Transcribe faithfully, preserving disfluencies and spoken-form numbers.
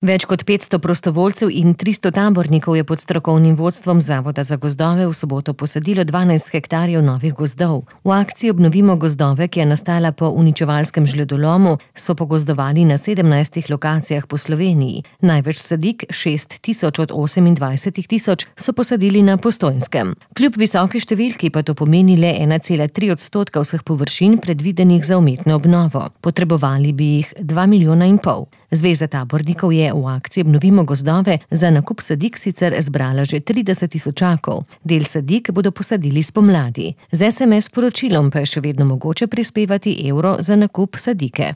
Več kot petsto prostovoljcev in tristo tabornikov je pod strokovnim vodstvom Zavoda za gozdove v soboto posadilo dvanajst hektarjev novih gozdov. V akciji Obnovimo gozdove, ki je nastala po uničevalskem žledolomu, so pogozdovali na sedemnajstih lokacijah po Sloveniji. Največ sadik, šest tisoč od osemindvajset tisoč, so posadili na Postojnskem. Kljub visoki številki pa to pomeni le ena cela tri odstotka vseh površin predvidenih za umetno obnovo. Potrebovali bi jih dva milijona in pol. Zveza tabornikov je v akciji Obnovimo gozdove za nakup sadik sicer zbrala že trideset tisočakov. Del sadik bodo posadili spomladi. Z es em es sporočilom pa je še vedno mogoče prispevati evro za nakup sadike.